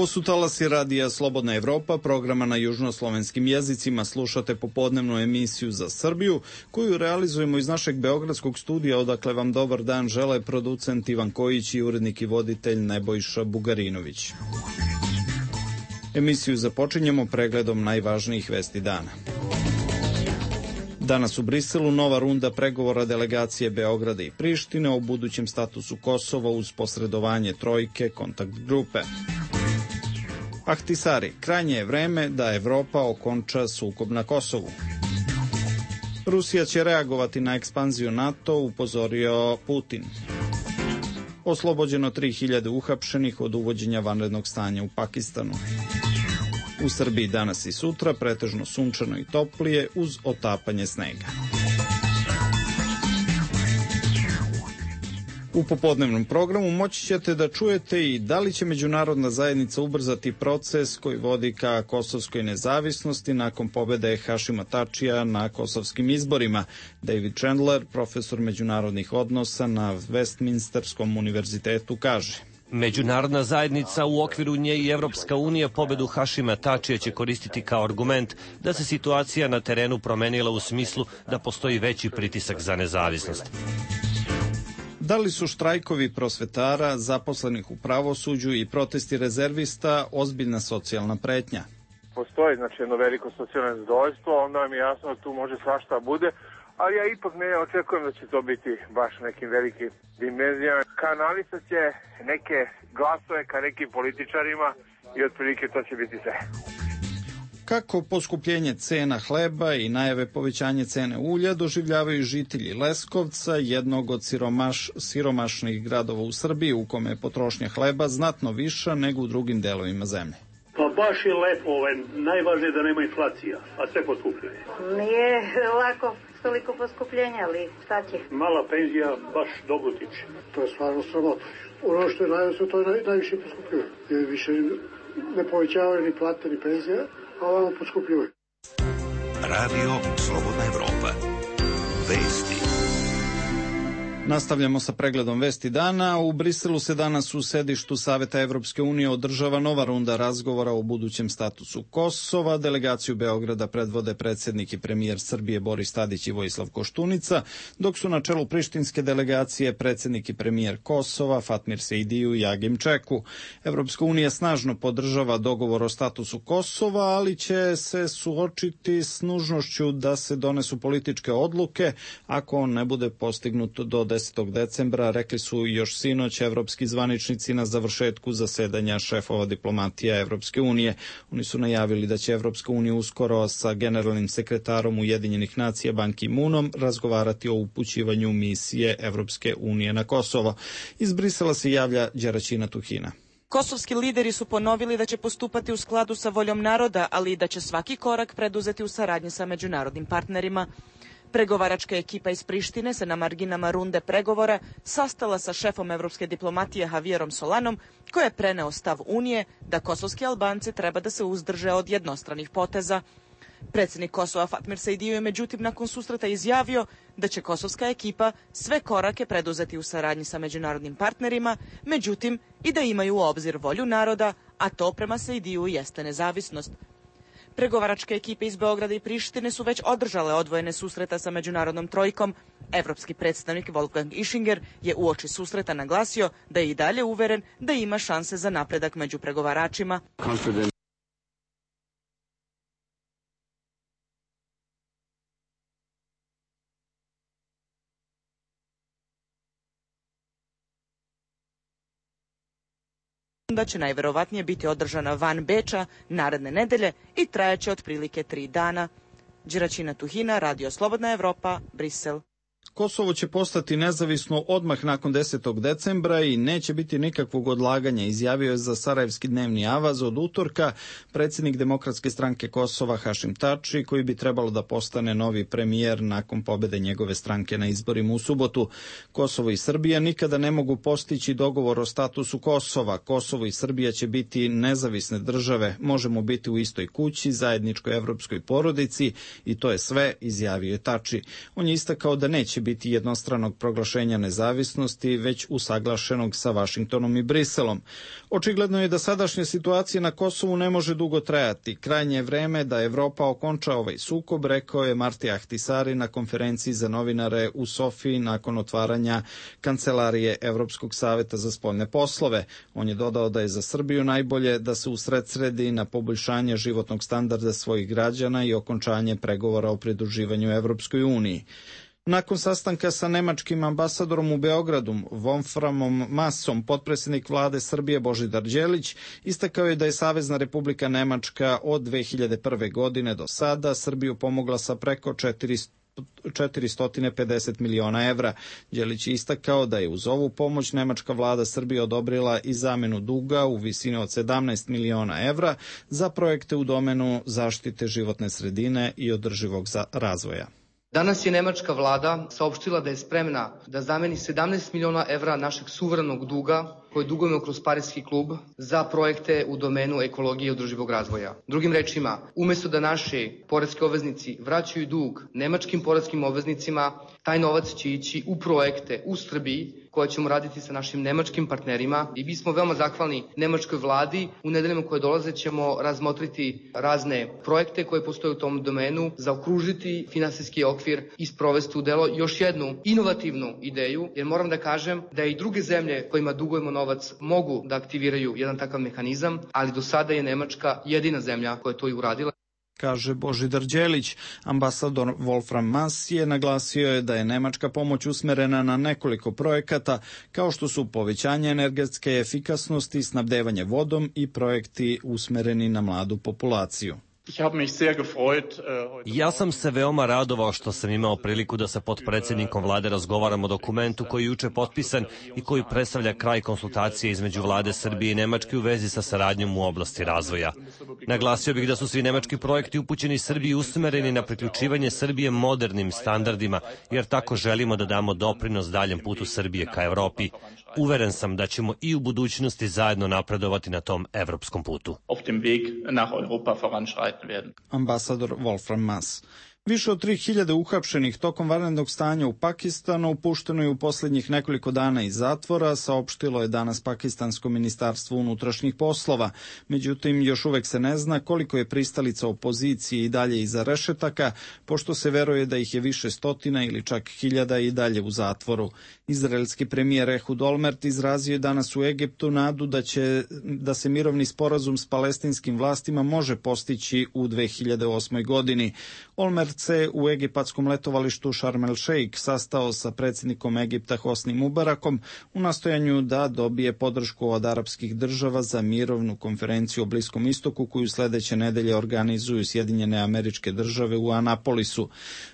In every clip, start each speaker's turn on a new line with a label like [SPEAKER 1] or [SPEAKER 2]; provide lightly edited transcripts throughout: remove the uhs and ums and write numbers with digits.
[SPEAKER 1] Ovo su talasi radija Slobodna Evropa, programa na južnoslovenskim jezicima. Slušate popodnevnu emisiju za Srbiju, koju realizujemo iz našeg beogradskog studija, odakle vam dobar dan žele producent Ivan Kojić i urednik i voditelj Nebojša Bugarinović. Emisiju započinjemo pregledom najvažnijih vesti dana. Danas u Briselu nova runda pregovora delegacije Beograda i Prištine o budućem statusu Kosova uz posredovanje trojke kontakt grupe. Ahtisari, krajnje je vreme da Evropa okonča sukob na Kosovu. Rusija će reagovati na ekspanziju NATO, upozorio Putin. Oslobođeno 3000 uhapšenih od uvođenja vanrednog stanja u Pakistanu. U Srbiji danas i sutra pretežno sunčano i toplije uz otapanje snega. U popodnevnom programu moći ćete da čujete i da li će međunarodna zajednica ubrzati proces koji vodi ka kosovskoj nezavisnosti nakon pobede Hašima Tačija na kosovskim izborima. David Chandler, profesor međunarodnih odnosa na Westminsterskom univerzitetu, kaže:
[SPEAKER 2] Međunarodna zajednica, u okviru nje i Evropska unija, pobedu Hašima Tačija će koristiti kao argument da se situacija na terenu promenila u smislu da postoji veći pritisak za nezavisnost.
[SPEAKER 1] Da li su štrajkovi prosvetara, zaposlenih u pravosuđu i protesti rezervista ozbiljna socijalna pretnja?
[SPEAKER 3] Postoji jedno veliko socijalno nezadovoljstvo, onda mi je jasno da tu može svašta bude, ali ja ipak ne očekujem da će to biti baš nekim velikim dimenzijama. Kanalisat će neke glasove ka nekim političarima i otprilike to će biti sve.
[SPEAKER 1] Kako poskupljenje cena hleba i najave povećanje cene ulja doživljavaju žitelji Leskovca, jednog od siromašnih gradova u Srbiji, u kome je potrošnja hleba znatno viša nego u drugim delovima zemlje?
[SPEAKER 4] Pa baš je lepo, najvažnije da nema inflacija, a sve poskupljuje.
[SPEAKER 5] Nije lako toliko poskupljenja, ali šta će?
[SPEAKER 4] Mala penzija baš dobro tiče.
[SPEAKER 6] To je stvarno sramota. Ono što je najviše, to je najviše poskupljuje. Jer više ne povećavaju ni plate ni penzije, a ovamo poskupljuje.
[SPEAKER 7] Radio Slobodna Evropa. Vesti.
[SPEAKER 1] Nastavljamo sa pregledom vesti dana. U Briselu se danas u sedištu Saveta Evropske unije održava nova runda razgovora o budućem statusu Kosova. Delegaciju Beograda predvode predsjednik i premijer Srbije Boris Tadić i Vojislav Koštunica, dok su na čelu prištinske delegacije predsjednik i premijer Kosova Fatmir Sejdiju i Agim Čeku. Evropska unija snažno podržava dogovor o statusu Kosova, ali će se suočiti s nužnošću da se donesu političke odluke ako on ne bude postignut do 10. decembra, rekli su još sinoć evropski zvaničnici na završetku zasedanja šefova diplomatija Evropske unije. Oni su najavili da će Evropska unija uskoro sa generalnim sekretarom Ujedinjenih nacija Ban Ki-moonom razgovarati o upućivanju misije Evropske unije na Kosovo. Iz Brisela se javlja Đeraćina Tuhina.
[SPEAKER 8] Kosovski lideri su ponovili da će postupati u skladu sa voljom naroda, ali i da će svaki korak preduzeti u saradnji sa međunarodnim partnerima. Pregovaračka ekipa iz Prištine se na marginama runde pregovora sastala sa šefom evropske diplomatije Javierom Solanom, koji je preneo stav Unije da kosovski Albanci treba da se uzdrže od jednostranih poteza. Predsjednik Kosova Fatmir Sejdiju je međutim nakon susreta izjavio da će kosovska ekipa sve korake preduzeti u saradnji sa međunarodnim partnerima, međutim i da imaju u obzir volju naroda, a to prema Sejdiju jeste nezavisnost. Pregovaračke ekipe iz Beograda i Prištine su već održale odvojene susreta sa međunarodnom trojkom. Evropski predstavnik Wolfgang Ischinger je uoči susreta naglasio da je i dalje uveren da ima šanse za napredak među pregovaračima. Da će najverovatnije biti održana van Beča naredne nedelje i trajaće otprilike 3 dana. Đeraćina Tuhina, Radio Slobodna Evropa, Brisel.
[SPEAKER 1] Kosovo će postati nezavisno odmah nakon 10. decembra i neće biti nikakvog odlaganja, izjavio je za Sarajevski dnevni avaz od utorka predsjednik Demokratske stranke Kosova Hašim Tači, koji bi trebalo da postane novi premijer nakon pobjede njegove stranke na izborima u subotu. Kosovo i Srbija nikada ne mogu postići dogovor o statusu Kosova. Kosovo i Srbija će biti nezavisne države, možemo biti u istoj kući, zajedničkoj evropskoj porodici i to je sve, izjavio je Tači. On je istakao da neće neće biti jednostranog proglašenja nezavisnosti, već usaglašenog sa Vašingtonom i Briselom. Očigledno je da sadašnja situacija na Kosovu ne može dugo trajati. Krajnje je vreme da Evropa okonča ovaj sukob, rekao je Marti Ahtisari na konferenciji za novinare u Sofiji nakon otvaranja kancelarije Evropskog saveta za spoljne poslove. On je dodao da je za Srbiju najbolje da se usredsredi na poboljšanje životnog standarda svojih građana i okončanje pregovora o pridruživanju Evropskoj uniji. Nakon sastanka sa nemačkim ambasadorom u Beogradu, Wolframom Maasom, potpredsjednik vlade Srbije Božidar Đelić istakao je da je Savezna Republika Nemačka od 2001. godine do sada Srbiju pomogla sa preko 450 miliona evra. Đelić je istakao da je uz ovu pomoć nemačka vlada Srbije odobrila i zamenu duga u visini od 17 miliona evra za projekte u domenu zaštite životne sredine i održivog razvoja.
[SPEAKER 9] Danas je nemačka vlada saopštila da je spremna da zameni 17 miliona evra našeg suverenog duga koje dugujemo kroz Pariski klub za projekte u domenu ekologije i održivog razvoja. Drugim rečima, umesto da naši poreski obveznici vraćaju dug nemačkim poreskim obveznicima, taj novac će ići u projekte u Srbiji koje ćemo raditi sa našim nemačkim partnerima i mi smo veoma zahvalni nemačkoj vladi. U nedeljama koje dolaze ćemo razmotriti razne projekte koje postoje u tom domenu, zaokružiti finansijski okvir i sprovesti u delo još jednu inovativnu ideju, jer moram da kažem da i druge zemlje kojima dugujemo novac mogu da aktiviraju jedan takav mehanizam, ali do sada je Nemačka jedina zemlja koja je to i uradila.
[SPEAKER 1] Kaže Božidar Đelić. Ambasador Wolfram Maas je naglasio da je nemačka pomoć usmerena na nekoliko projekata, kao što su povećanje energetske efikasnosti, snabdevanje vodom i projekti usmereni na mladu populaciju.
[SPEAKER 2] Ja sam se veoma radovao što sam imao priliku da sa potpredsjednikom vlade razgovaram o dokumentu koji je juče potpisan i koji predstavlja kraj konsultacije između vlade Srbije i Nemačke u vezi sa saradnjom u oblasti razvoja. Naglasio bih da su svi nemački projekti upućeni Srbiji usmereni na priključivanje Srbije modernim standardima, jer tako želimo da damo doprinos daljem putu Srbije ka Evropi. Uveren sam da ćemo i u budućnosti zajedno napredovati na tom evropskom putu.
[SPEAKER 1] Ambasador Wolfram Maas. Više od 3000 uhapšenih tokom vanrednog stanja u Pakistanu pušteno je u posljednjih nekoliko dana iz zatvora, saopštilo je danas Pakistansko ministarstvo unutrašnjih poslova. Međutim, još uvek se ne zna koliko je pristalica opozicije i dalje iza rešetaka, pošto se veruje da ih je više stotina ili čak 1000 i dalje u zatvoru. Izraelski premijer Ehud Olmert izrazio je danas u Egiptu nadu da se mirovni sporazum s palestinskim vlastima može postići u 2008. godini. Olmert se u egipatskom letovalištu Sharm el Sheikh sastao sa predsjednikom Egipta Hosni Mubarakom u nastojanju da dobije podršku od arapskih država za mirovnu konferenciju o Bliskom istoku koju sledeće nedelje organizuju Sjedinjene Američke Države u Anapolisu.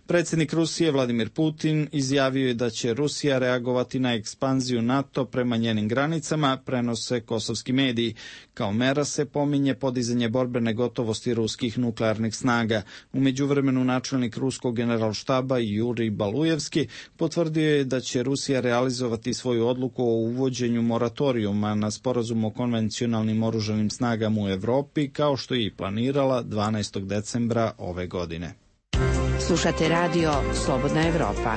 [SPEAKER 1] Predsjednik Rusije Vladimir Putin izjavio je da će Rusija reagovati na ekspanziju NATO prema njenim granicama, prenose kosovski mediji. Kao mera se pominje podizanje borbene gotovosti ruskih nuklearnih snaga. U međuvremenu načelnik ruskog generalštaba Jurij Balujevski potvrdio je da će Rusija realizovati svoju odluku o uvođenju moratorijuma na sporazum o konvencionalnim oružanim snagama u Evropi, kao što je i planirala 12. decembra ove godine.
[SPEAKER 10] Slušate radio Slobodna Evropa.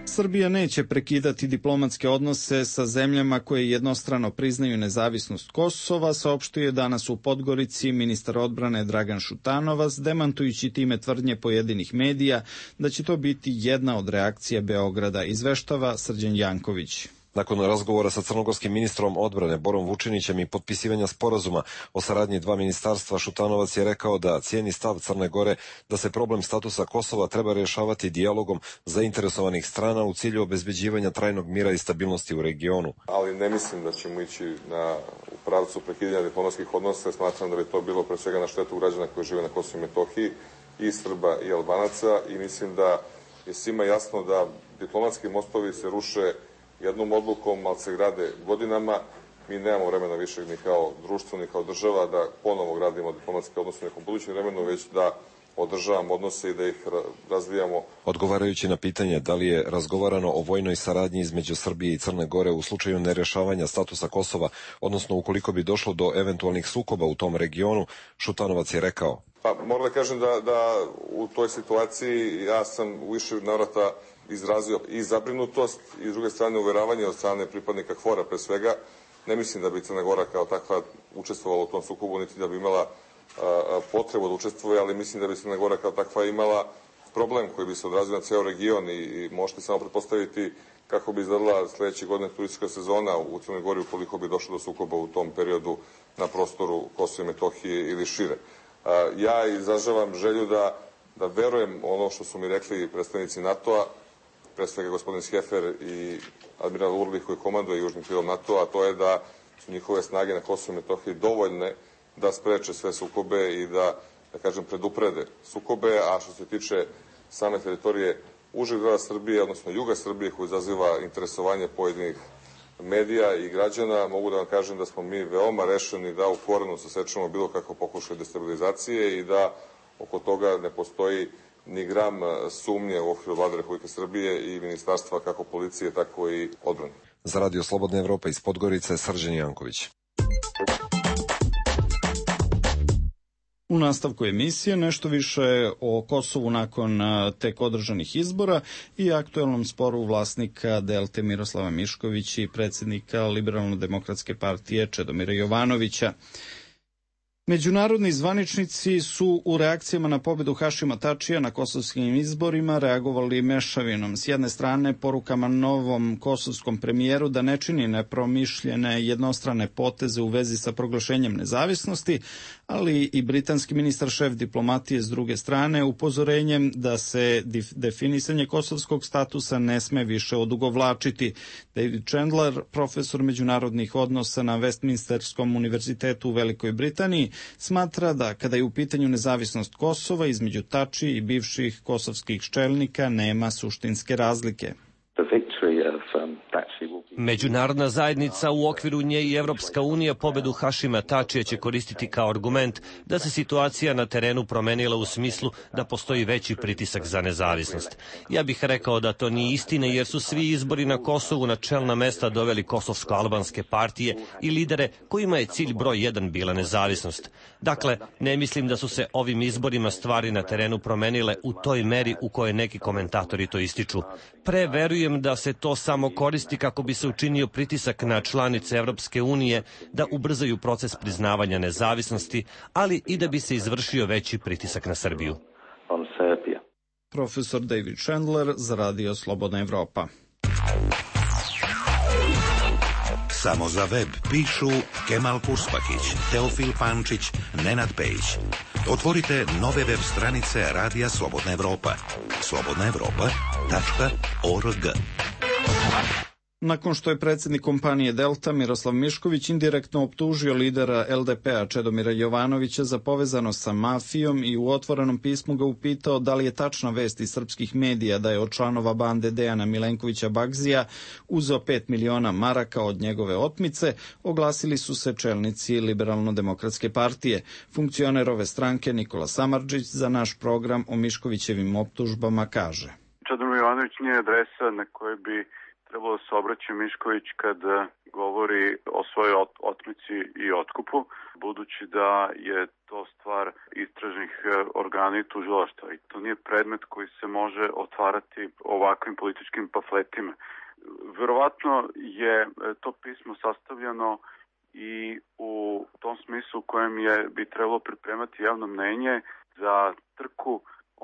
[SPEAKER 1] Srbija neće prekidati diplomatske odnose sa zemljama koje jednostrano priznaju nezavisnost Kosova, saopštio je danas u Podgorici ministar odbrane Dragan Šutanovac, demantujući time tvrdnje pojedinih medija da će to biti jedna od reakcija Beograda, izveštava Srđan Janković.
[SPEAKER 11] Nakon razgovora sa crnogorskim ministrom odbrane Borom Vučinićem i potpisivanja sporazuma o saradnji dva ministarstva, Šutanovac je rekao da cijeni stav Crne Gore da se problem statusa Kosova treba rješavati dijalogom zainteresovanih strana u cilju obezbeđivanja trajnog mira i stabilnosti u regionu.
[SPEAKER 12] Ali ne mislim da ćemo ići u pravcu prekidanja diplomatskih odnosa. Smatram da bi to bilo pre svega na štetu građana koji žive na Kosovu i Metohiji, i Srba i Albanaca, i mislim da je svima jasno da diplomatski mostovi se ruše jednom odlukom, ali se grade godinama. Mi nemamo vremena više ni kao društvo, ni kao država da ponovo gradimo diplomatske odnose u nekom budućem vremenu, već da održavamo odnose i da ih razvijamo.
[SPEAKER 11] Odgovarajući na pitanje da li je razgovarano o vojnoj saradnji između Srbije i Crne Gore u slučaju nerješavanja statusa Kosova, odnosno ukoliko bi došlo do eventualnih sukoba u tom regionu, Šutanovac je rekao:
[SPEAKER 12] Pa moram da kažem da u toj situaciji ja sam u više navrata izrazio i zabrinutost i s druge strane uveravanje od strane pripadnika KFOR-a pre svega. Ne mislim da bi Crna Gora kao takva učestvovala u tom sukobu, niti da bi imala potrebu da učestvuje, ali mislim da bi Crna Gora kao takva imala problem koji bi se odrazio na ceo region i možete samo pretpostaviti kako bi izgledala sledeće godine turistička sezona u Crnoj Gori ukoliko bi došlo do sukoba u tom periodu na prostoru Kosova i Metohije ili šire. Ja izražavam želju da verujem ono što su mi rekli predstavnici NATO-a, pre svega gospodin Skefer i admiral Urlih koji komanduje južnim krilom NATO-a, a to je da su njihove snage na Kosovu i Metohiji dovoljne da spreče sve sukobe i da kažem, preduprede sukobe, a što se tiče same teritorije užeg dela Srbije, odnosno juga Srbije, koji izaziva interesovanje pojedinih medija i građana, mogu da vam kažem da smo mi veoma rešeni da u korenu sasečemo bilo kako pokušaj destabilizacije i da oko toga ne postoji ni gram sumnje u okviru Vlade Republike Srbije i ministarstva kako policije, tako i odbrane.
[SPEAKER 11] Za Radio Slobodna Evropa iz Podgorice, Srđan Janković.
[SPEAKER 1] U nastavku emisije nešto više o Kosovu nakon tek održanih izbora i aktuelnom sporu vlasnika Delte Miroslava Miškovića i predsjednika Liberalno-demokratske partije Čedomira Jovanovića. Međunarodni zvaničnici su u reakcijama na pobedu Hašima Tačija na kosovskim izborima reagovali mešavinom. S jedne strane, porukama novom kosovskom premijeru da ne čini nepromišljene jednostrane poteze u vezi sa proglašenjem nezavisnosti, ali i britanski ministar šef diplomatije s druge strane upozorenjem da se definisanje kosovskog statusa ne sme više odugovlačiti. David Chandler, profesor međunarodnih odnosa na Westminsterskom univerzitetu u Velikoj Britaniji, smatra da kada je u pitanju nezavisnost Kosova između Tači i bivših kosovskih čelnika nema suštinske razlike.
[SPEAKER 2] Međunarodna zajednica, u okviru nje i Evropska unija, pobedu Hašima Tačija će koristiti kao argument da se situacija na terenu promenila u smislu da postoji veći pritisak za nezavisnost. Ja bih rekao da to nije istina jer su svi izbori na Kosovu na čelna mesta doveli kosovsko-albanske partije i lidere kojima je cilj broj 1 bila nezavisnost. Dakle, ne mislim da su se ovim izborima stvari na terenu promenile u toj meri u kojoj neki komentatori to ističu. Verujem da se to samo koristi kako bi se učinio pritisak na članice Evropske unije da ubrzaju proces priznavanja nezavisnosti, ali i da bi se izvršio veći pritisak na Srbiju.
[SPEAKER 1] Profesor David Chandler za Radio Slobodna Evropa.
[SPEAKER 7] Samo za web pišu Kemal Purspakić, Teofil Pančić, Nenad Pejić. Otvorite nove web stranice Radija Slobodna Evropa. slobodnaevropa.org.
[SPEAKER 1] Nakon što je predsjednik kompanije Delta Miroslav Mišković indirektno optužio lidera LDP-a Čedomira Jovanovića za povezanost sa mafijom i u otvorenom pismu ga upitao da li je tačna vest iz srpskih medija da je od članova bande Dejana Milenkovića Bagzija uzeo 5 miliona maraka od njegove otmice, oglasili su se čelnici Liberalno-demokratske partije. Funkcioner ove stranke Nikola Samardžić za naš program o Miškovićevim optužbama kaže:
[SPEAKER 13] Čedomir Jovanović nije adresa na kojoj bi trebalo se obraća Mišković kad govori o svojoj otmici i otkupu, budući da je to stvar istražnih organa i tužilaštva i to nije predmet koji se može otvarati ovakvim političkim pamfletima. Verovatno je to pismo sastavljeno i u tom smislu u kojem bi trebalo pripremati javno mnenje za trku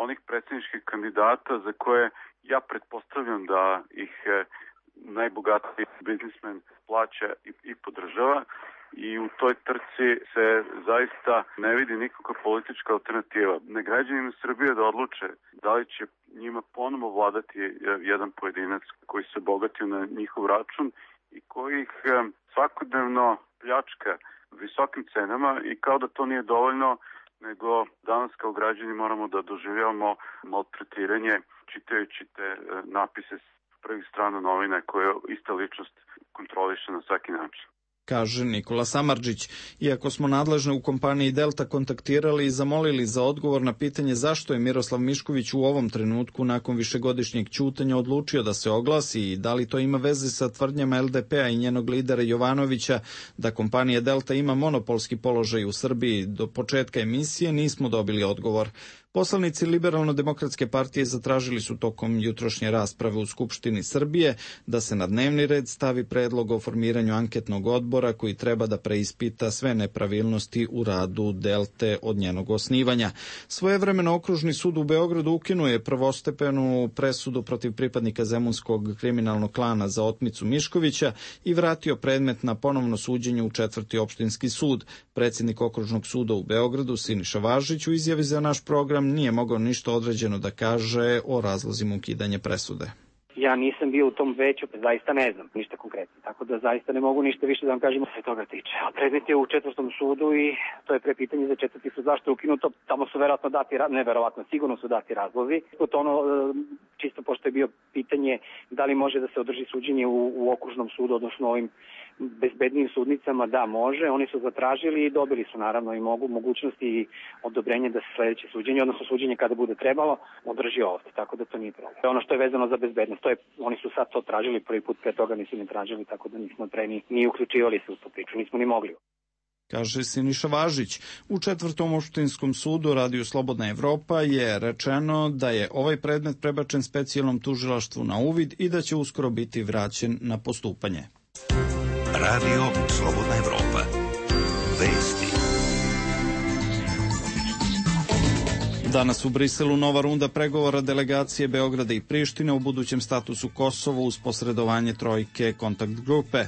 [SPEAKER 13] onih predsjedničkih kandidata za koje ja pretpostavljam da ih najbogatiji biznismen plaća i podržava i u toj trci se zaista ne vidi nikakva politička alternativa. Ne građanima Srbije da odluče da li će njima ponovo vladati jedan pojedinac koji se bogatio na njihov račun i koji ih svakodnevno pljačka visokim cenama i kao da to nije dovoljno, nego danas kao građani moramo da doživljavamo maltretiranje čitajući te napise prvih strana novina koje ista ličnost kontroliše na svaki način.
[SPEAKER 1] kaže Nikola Samardžić. Iako smo nadležne u kompaniji Delta kontaktirali i zamolili za odgovor na pitanje zašto je Miroslav Mišković u ovom trenutku nakon višegodišnjeg ćutanja odlučio da se oglasi i da li to ima veze sa tvrdnjama LDP-a i njenog lidera Jovanovića da kompanija Delta ima monopolski položaj u Srbiji, do početka emisije nismo dobili odgovor. Poslanici Liberalno-demokratske partije zatražili su tokom jutrošnje rasprave u Skupštini Srbije da se na dnevni red stavi predlog o formiranju anketnog odbora koji treba da preispita sve nepravilnosti u radu Delte od njenog osnivanja. Svojevremeno Okružni sud u Beogradu ukinuo je prvostepenu presudu protiv pripadnika zemunskog kriminalnog klana za otmicu Miškovića i vratio predmet na ponovno suđenje u 4. opštinski sud. Predsjednik Okružnog suda u Beogradu Siniša Važić u izjavi za naš program nije mogao ništa određeno da kaže o razlozima ukidanja presude.
[SPEAKER 14] Ja nisam bio u tom veću, zaista ne znam ništa konkretno, tako da zaista ne mogu ništa više da vam kažem se toga tiče. A predmet je u 4. sudu i to je prepitanje za 4. sud. Zašto je ukinuto? Tamo su verovatno dati, neverovatno, sigurno su dati razlozi. Čisto pošto je bio pitanje da li može da se održi suđenje u okružnom sudu, odnosno ovim bezbednim sudnicama, da može. Oni su zatražili i dobili su naravno i mogućnosti i odobrenje da se sledeće suđenje, odnosno suđenje kada bude trebalo, održi ovde, tako da to nije problem. Ono što je vezano za bezbednost, oni su sad to tražili, prvi put pre toga nisu ni tražili, tako da nismo ni uključivali se u tu priču, nismo ni mogli.
[SPEAKER 1] Kaže Siniša Važić. U 4. opštinskom sudu Radiju Slobodna Evropa je rečeno da je ovaj predmet prebačen specijalnom tužilaštvu na uvid i da će uskoro biti vraćen na postupanje.
[SPEAKER 7] Radio Slobodna Evropa. Vesti.
[SPEAKER 1] Danas u Briselu nova runda pregovora delegacije Beograda i Prištine o budućem statusu Kosova uz posredovanje trojke kontakt grupe.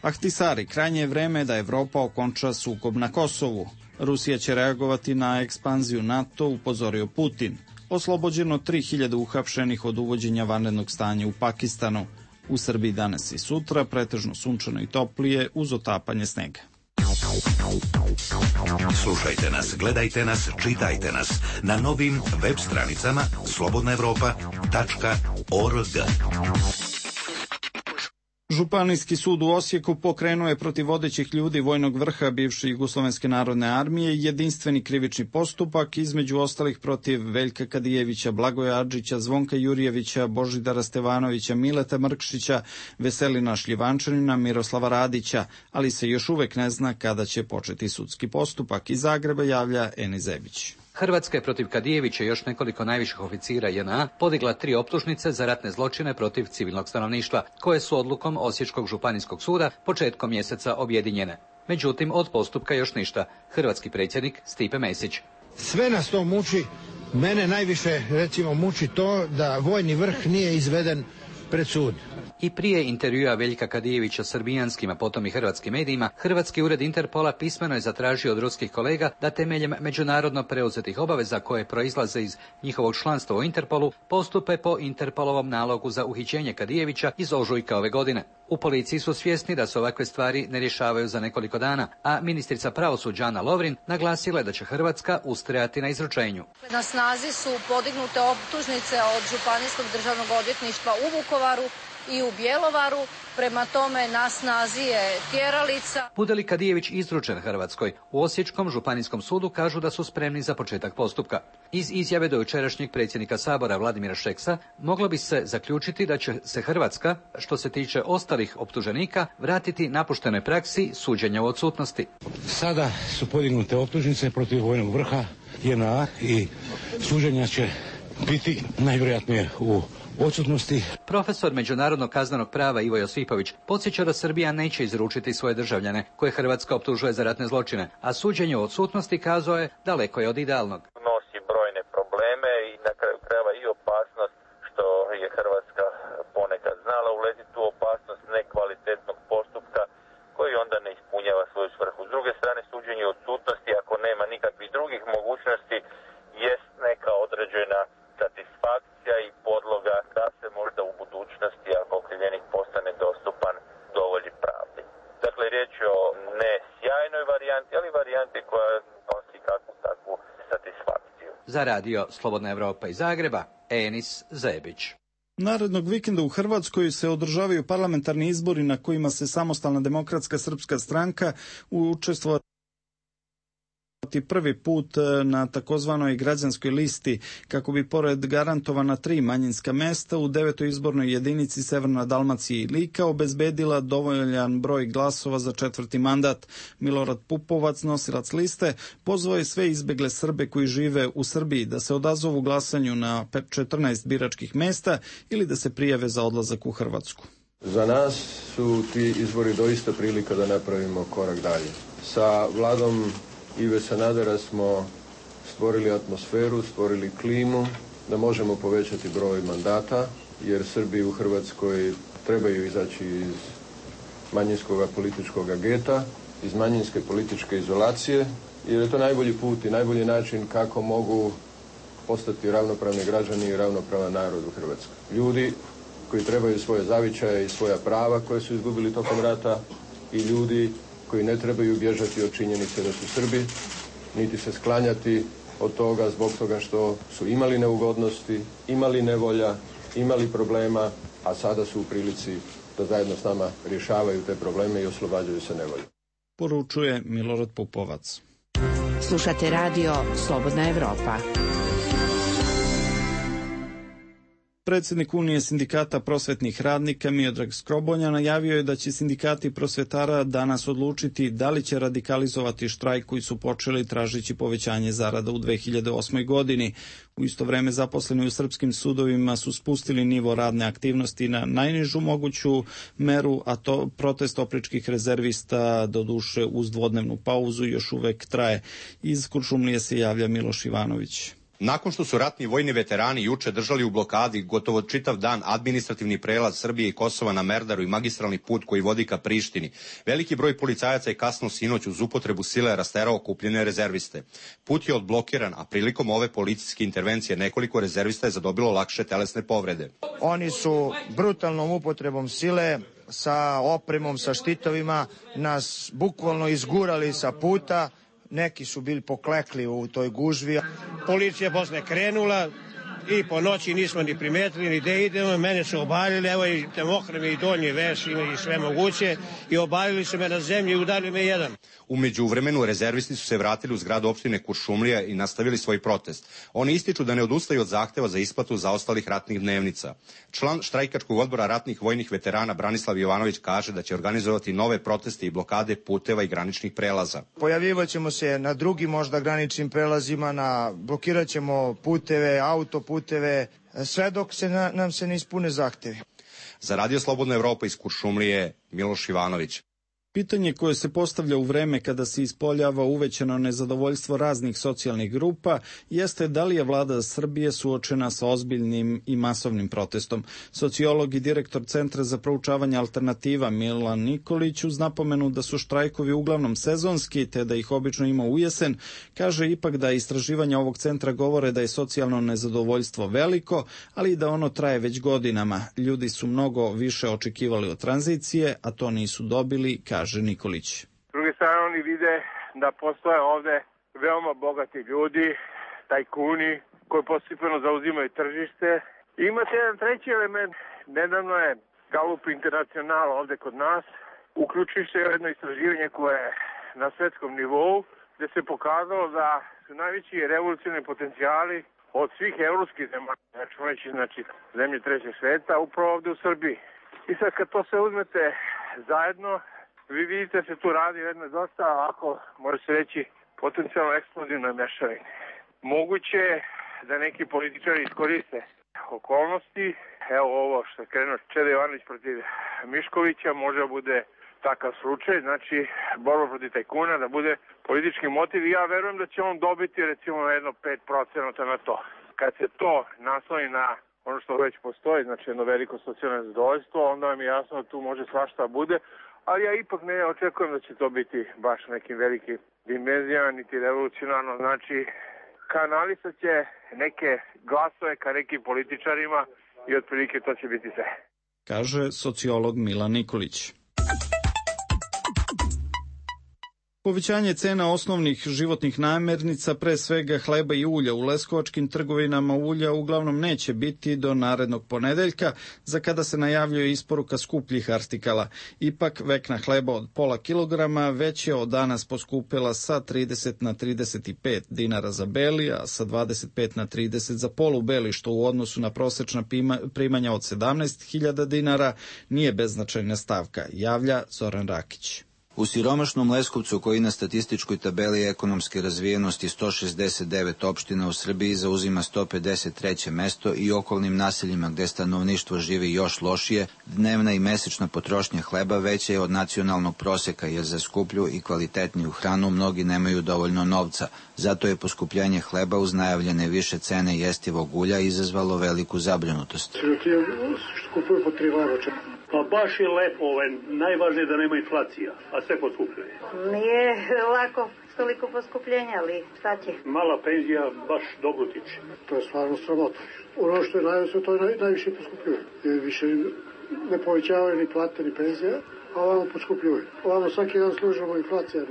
[SPEAKER 1] Ahtisari, krajnje je vreme da Evropa okonča sukob na Kosovu. Rusija će reagovati na ekspanziju NATO, upozorio Putin. Oslobođeno 3000 uhapšenih od uvođenja vanrednog stanja u Pakistanu. U Srbiji danas i sutra pretežno sunčano i toplije uz otapanje snega.
[SPEAKER 7] Slušajte nas, gledajte nas, čitajte nas na novim web stranicama slobodnaevropa.org.
[SPEAKER 1] Županijski sud u Osijeku pokrenuo je protiv vodećih ljudi vojnog vrha bivše Jugoslovenske narodne armije jedinstveni krivični postupak, između ostalih protiv Veljka Kadijevića, Blagoja Adžića, Zvonka Jurjevića, Božidara Stevanovića, Mileta Mrkšića, Veselina Šljivančanina, Miroslava Radića, ali se još uvek ne zna kada će početi sudski postupak. Iz Zagreba javlja Eni Zebić.
[SPEAKER 15] Hrvatska je protiv Kadijevića i još nekoliko najviših oficira JNA podigla 3 optužnice za ratne zločine protiv civilnog stanovništva, koje su odlukom Osječkog županijskog suda početkom mjeseca objedinjene. Međutim, od postupka još ništa. Hrvatski predsjednik Stipe Mesić.
[SPEAKER 16] Sve nas to muči, mene najviše recimo muči to da vojni vrh nije izveden pred sud.
[SPEAKER 15] I prije intervjua Veljka Kadijevića srbijanskim, a potom i hrvatskim medijima, Hrvatski ured Interpola pismeno je zatražio od ruskih kolega da temeljem međunarodno preuzetih obaveza koje proizlaze iz njihovog članstva u Interpolu postupe po Interpolovom nalogu za uhićenje Kadijevića iz ožujka ove godine. U policiji su svjesni da se ovakve stvari ne rješavaju za nekoliko dana, a ministrica pravosuđa Ana Lovrin naglasila je da će Hrvatska ustrajati na izručenju.
[SPEAKER 17] Na snazi su podignute optužnice od Županijskog državnog odvjetništva u Vukovaru i u Bjelovaru, prema tome na snazi je tjeralica.
[SPEAKER 15] Bude li Kadijević izručen Hrvatskoj, u Osječkom županijskom sudu kažu da su spremni za početak postupka. Iz izjave do jučerašnjeg predsjednika Sabora Vladimira Šeksa moglo bi se zaključiti da će se Hrvatska, što se tiče ostalih optuženika, vratiti napuštenoj praksi suđenja u odsutnosti.
[SPEAKER 16] Sada su podignute optužnice protiv vojnog vrha JNA i suđenja će biti najvjerojatnije u odsutnosti.
[SPEAKER 15] Profesor međunarodnog kaznenog prava Ivo Josipović podsjeća da Srbija neće izručiti svoje državljane koje Hrvatska optužuje za ratne zločine, a suđenje u odsutnosti, kazao je, daleko je od idealnog.
[SPEAKER 18] Nosi brojne probleme i na kraju krajeva i opasnost što je Hrvatska ponekad znala uletiti u opasnost nekvalitetnog postupka koji onda ne ispunjava svoju svrhu. S druge strane, suđenje u odsutnosti, ako nema nikakvih drugih mogućnosti, jest neka određena satisfakcija i podloga da se možda u budućnosti, ako okrivljenik postane dostupan, dovolji pravdi. Dakle, riječ je o ne sjajnoj varijanti, ali varijanti koja nosi kakvu takvu satisfakciju.
[SPEAKER 15] Za radio Slobodna Evropa iz Zagreba, Enis Zebić.
[SPEAKER 1] Narednog vikenda u Hrvatskoj se održavaju parlamentarni izbori na kojima se Samostalna demokratska srpska stranka učestvovati prvi put na takozvanoj građanskoj listi kako bi pored garantovana 3 manjinska mesta u 9. izbornoj jedinici Severna Dalmacija i Lika obezbedila dovoljan broj glasova za 4. mandat. Milorad Pupovac, nosilac liste, pozvao je sve izbegle Srbe koji žive u Srbiji da se odazovu glasanju na 14 biračkih mesta ili da se prijave za odlazak u Hrvatsku.
[SPEAKER 19] Za nas su ti izbori doista prilika da napravimo korak dalje. Sa vladom Ive Sanadera smo stvorili atmosferu, stvorili klimu da možemo povećati broj mandata, jer Srbi u Hrvatskoj trebaju izaći iz manjinskog političkog geta, iz manjinske političke izolacije, jer je to najbolji put i najbolji način kako mogu postati ravnopravni građani i ravnopravan narod u Hrvatskoj. Ljudi koji trebaju svoje zavičaje i svoja prava koje su izgubili tokom rata i ljudi koji ne trebaju bježati od činjenice da su Srbi, niti se sklanjati od toga zbog toga što su imali neugodnosti, imali nevolja, imali problema, a sada su u prilici da zajedno s nama rješavaju te probleme i oslobađaju se nevolje.
[SPEAKER 1] Poručuje Milorad Pupovac.
[SPEAKER 10] Slušate radio Slobodna Evropa.
[SPEAKER 1] Predsjednik Unije sindikata prosvetnih radnika Miodrag Skrobonja najavio je da će sindikati prosvetara danas odlučiti da li će radikalizovati štrajk koji su počeli tražeći povećanje zarada u 2008. godini. U isto vreme zaposleni u srpskim sudovima su spustili nivo radne aktivnosti na najnižu moguću meru, a to protest opričkih rezervista doduše uz dvodnevnu pauzu još uvek traje. Iz Kuršumlije se javlja Miloš Ivanović.
[SPEAKER 20] Nakon što su ratni vojni veterani juče držali u blokadi gotovo čitav dan administrativni prelaz Srbije i Kosova na Merdaru i magistralni put koji vodi ka Prištini, veliki broj policajaca je kasno sinoć uz upotrebu sile rasterao okupljene rezerviste. Put je odblokiran, a prilikom ove policijske intervencije nekoliko rezervista je zadobilo lakše telesne povrede.
[SPEAKER 21] Oni su brutalnom upotrebom sile sa opremom, sa štitovima nas bukvalno izgurali sa puta. Neki su bili poklekli u toj gužvi.
[SPEAKER 22] Policija posle krenula i po noći nismo ni primetili ni gde idemo. Mene su obalili, evo i temohrame i donji veš i sve moguće. I obalili su me na zemlji i udarili me jedan.
[SPEAKER 20] U međuvremenu rezervisti su se vratili u zgradu opštine Kuršumlija i nastavili svoj protest. Oni ističu da ne odustaju od zahteva za isplatu zaostalih ratnih dnevnica. Član štrajkačkog odbora ratnih vojnih veterana Branislav Jovanović kaže da će organizovati nove proteste i blokade puteva i graničnih prelaza.
[SPEAKER 21] Pojavljivat ćemo se na drugim možda graničnim prelazima, blokirat ćemo puteve, autoputeve, sve dok nam se ne ispune zahtevi.
[SPEAKER 20] Za Radio Slobodna Evropa iz Kuršumlije, Miloš Ivanović.
[SPEAKER 1] Pitanje koje se postavlja u vreme kada se ispoljava uvećano nezadovoljstvo raznih socijalnih grupa jeste da li je vlada Srbije suočena sa ozbiljnim i masovnim protestom. Sociolog i direktor Centra za proučavanje alternativa Milan Nikolić uz napomenu da su štrajkovi uglavnom sezonski te da ih obično ima u jesen, kaže ipak da istraživanja ovog centra govore da je socijalno nezadovoljstvo veliko, ali i da ono traje već godinama. Ljudi su mnogo više očekivali od tranzicije, a to nisu dobili, kaže Nikolić.
[SPEAKER 3] S druge strane oni vide da postoje ovde veoma bogati ljudi, tajkuni, koji postepeno zauzimaju tržište. Imate jedan treći element, nedavno je Gallup International ovde kod nas uključivši jedno istraživanje koje je na svetskom nivou, gde se pokazalo da su najveći revolucionarni potencijali od svih evropskih zemalja, znači zemlje trećeg sveta, upravo ovde u Srbiji. I sad kad to sve uzmete zajedno, vi vidite da se tu radi jedno dosta, ako može se reći, potencijalno eksplozivno mešavine. Moguće je da neki političari iskoriste okolnosti. Evo ovo što je krenuo Čeda Jovanović protiv Miškovića, može da bude takav slučaj, znači borba protiv tajkuna, da bude politički motiv i ja verujem da će on dobiti recimo jedno 5% na to. Kad se to naslovi na ono što već postoji, znači jedno veliko socijalno zadovoljstvo, onda vam je jasno da tu može svašta bude, ali ja ipak ne očekujem da će to biti baš nekim velikim dimenzijama, niti revolucionarno, znači kanalisat će neke glasove ka nekim političarima i otprilike to će biti sve.
[SPEAKER 1] Kaže sociolog Milan Nikolić. Povećanje cena osnovnih životnih namirnica, pre svega hleba i ulja, u leskovačkim trgovinama ulja uglavnom neće biti do narednog ponedeljka, za kada se najavljuje isporuka skupljih artikala. Ipak, vekna hleba od pola kilograma već je od danas poskupila sa 30 na 35 dinara za beli, a sa 25 na 30 za polubeli, što u odnosu na prosečna primanja od 17.000 dinara nije beznačajna stavka, javlja Zoran Rakić.
[SPEAKER 4] U siromašnom Leskovcu, koji na statističkoj tabeli ekonomske razvijenosti 169 opština u Srbiji zauzima 153. mesto i okolnim naseljima gde stanovništvo živi još lošije, dnevna i mesečna potrošnja hleba veća je od nacionalnog proseka, jer za skuplju i kvalitetniju hranu mnogi nemaju dovoljno novca. Zato je poskupljenje hleba uz najavljene više cene jestivog ulja izazvalo veliku zabrinutost.
[SPEAKER 6] Što kupuju po 3 leva.
[SPEAKER 5] Pa baš je lepo, najvažnije da nema inflacija, a sve poskupljuje.
[SPEAKER 23] Nije lako toliko poskupljenja, ali šta će?
[SPEAKER 5] Mala penzija baš dobro tiče.
[SPEAKER 6] To je stvarno sramota. Ono što je najviše, to je najviše poskupljuje. Više ne povećavaju ni plate ni penzija, a ovamo poskupljuje. Ovamo svaki dan služimo inflacija,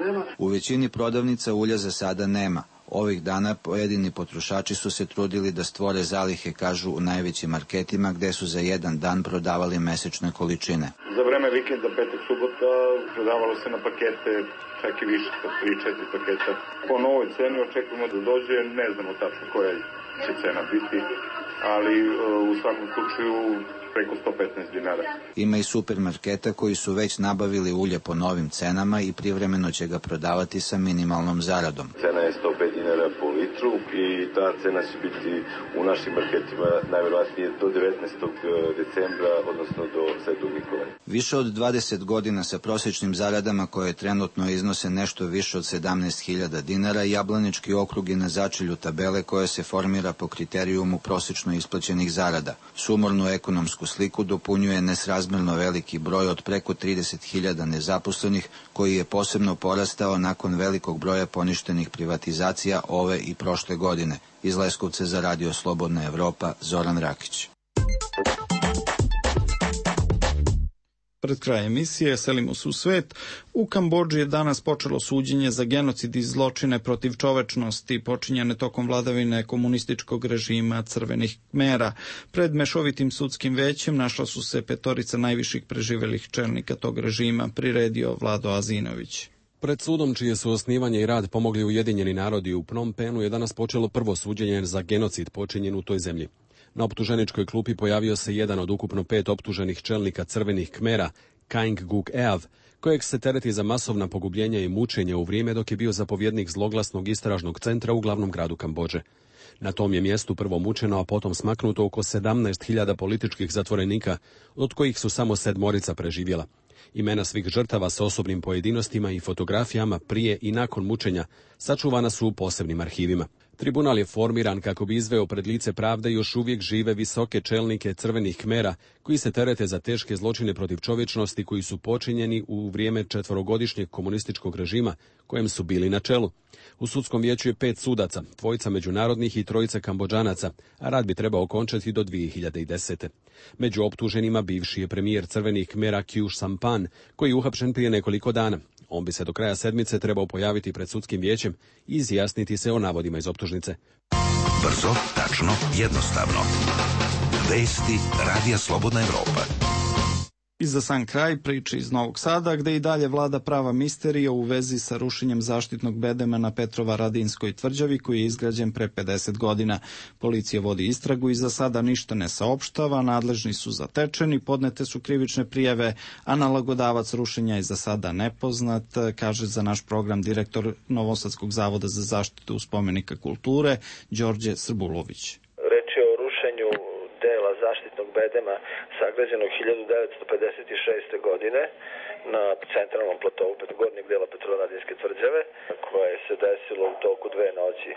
[SPEAKER 6] nema.
[SPEAKER 4] U većini prodavnica ulja za sada nema. Ovih dana pojedini potrošači su se trudili da stvore zalihe, kažu, u najvećim marketima, gde su za jedan dan prodavali mesečne količine.
[SPEAKER 24] Za vreme vikenda, petak, subota, prodavalo se na pakete, čak i više, 3-4 paketa. Po novoj ceni očekujemo da dođe, ne znamo tačno koja će cena biti, ali u svakom slučaju preko 115 dinara.
[SPEAKER 4] Ima i supermarketa koji su već nabavili ulje po novim cenama i privremeno će ga prodavati sa minimalnom zaradom.
[SPEAKER 25] Cena je 105 dinara po litru i ta cena će biti u našim marketima najverovatnije do 19. decembra, odnosno do Svetog Nikolaja.
[SPEAKER 4] Više od 20 godina sa prosječnim zaradama koje trenutno iznose nešto više od 17.000 dinara, Jablanički okrug je na začelju tabele koja se formira po kriterijumu prosječno isplaćenih zarada. Sumornu ekonomsku sliku dopunjuje nesrazmerno veliki broj od preko 30.000 nezaposlenih, koji je posebno porastao nakon velikog broja poništenih privatizacija ove i prošle godine. Iz Leskovca za Radio Slobodna Evropa, Zoran Rakić.
[SPEAKER 1] Pred kraj emisije selimo se u svet. U Kambodži je danas počelo suđenje za genocid i zločine protiv čovečnosti počinjene tokom vladavine komunističkog režima Crvenih Kmera. Pred mešovitim sudskim većem našla su se 5 najviših preživelih čelnika tog režima, priredio Vlado Azinović.
[SPEAKER 26] Pred sudom, čije su osnivanje i rad pomogli Ujedinjeni narodi u Phnom Penhu, je danas počelo prvo suđenje za genocid počinjen u toj zemlji. Na optuženičkoj klupi pojavio se jedan od ukupno 5 optuženih čelnika Crvenih Kmera, Kaing Guk Eav, kojeg se tereti za masovna pogubljenja i mučenja u vrijeme dok je bio zapovjednik zloglasnog istražnog centra u glavnom gradu Kambodže. Na tom je mjestu prvo mučeno, a potom smaknuto oko 17.000 političkih zatvorenika, od kojih su samo 7 preživjela. Imena svih žrtava sa osobnim pojedinostima i fotografijama prije i nakon mučenja sačuvana su u posebnim arhivima. Tribunal je formiran kako bi izveo pred lice pravde još uvijek žive visoke čelnike Crvenih Kmera, koji se terete za teške zločine protiv čovječnosti koji su počinjeni u vrijeme 4-godišnjeg komunističkog režima kojem su bili na čelu. U sudskom vijeću je 5 sudaca, 2 međunarodnih i 3 Kambodžanaca, a rad bi trebao okončati do 2010. Među optuženima bivši je premijer Crvenih Kmera Khieu Samphan, koji je uhapšen prije nekoliko dana. On bi se do kraja sedmice trebao pojaviti pred sudskim vijećem i izjasniti se o navodima iz optužnice.
[SPEAKER 7] Brzo, tačno, jednostavno. Vesti Radija Slobodna Evropa.
[SPEAKER 1] I za sam kraj priče iz Novog Sada, gde i dalje vlada prava misterija u vezi sa rušenjem zaštitnog bedema na Petrovaradinskoj tvrđavi, koji je izgrađen pre 50 godina. Policija vodi istragu i za sada ništa ne saopštava, nadležni su zatečeni, podnete su krivične prijave, a nalagodavac rušenja je za sada nepoznat, kaže za naš program direktor Novosadskog zavoda za zaštitu spomenika kulture, Đorđe Srbulović.
[SPEAKER 27] Dela zaštitnog bedema sagrađenog 1956. godine na centralnom platovu gornjeg dela Petrovaradinske tvrđave, koje se desilo u toku 2 noći,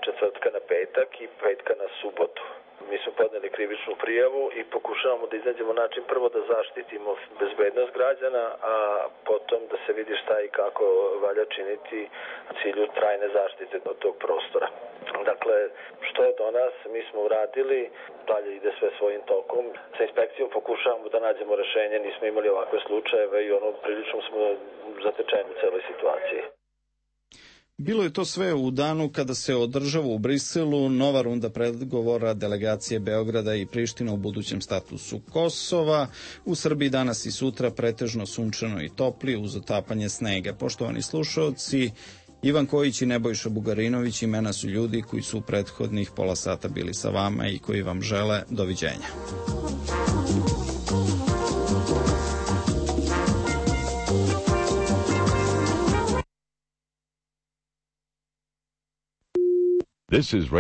[SPEAKER 27] četvrtka na petak i petka na subotu. Mi smo podneli krivičnu prijavu i pokušavamo da iznađemo način prvo da zaštitimo bezbednost građana, a potom da se vidi šta i kako valja činiti u cilju trajne zaštite od tog prostora. Dakle, što je do nas, mi smo uradili, dalje ide sve svojim tokom. Sa inspekcijom pokušavamo da nađemo rešenje, nismo imali ovakve slučajeve i prilično smo zatečeni u celoj situaciji.
[SPEAKER 1] Bilo je to sve u danu kada se održava u Briselu nova runda pregovora delegacije Beograda i Prištine u budućem statusu Kosova. U Srbiji danas i sutra pretežno sunčano i topli uz otapanje snega. Poštovani slušaoci, Ivan Kojić i Nebojša Bugarinović imena su ljudi koji su u prethodnih pola sata bili sa vama i koji vam žele doviđenja.
[SPEAKER 2] This is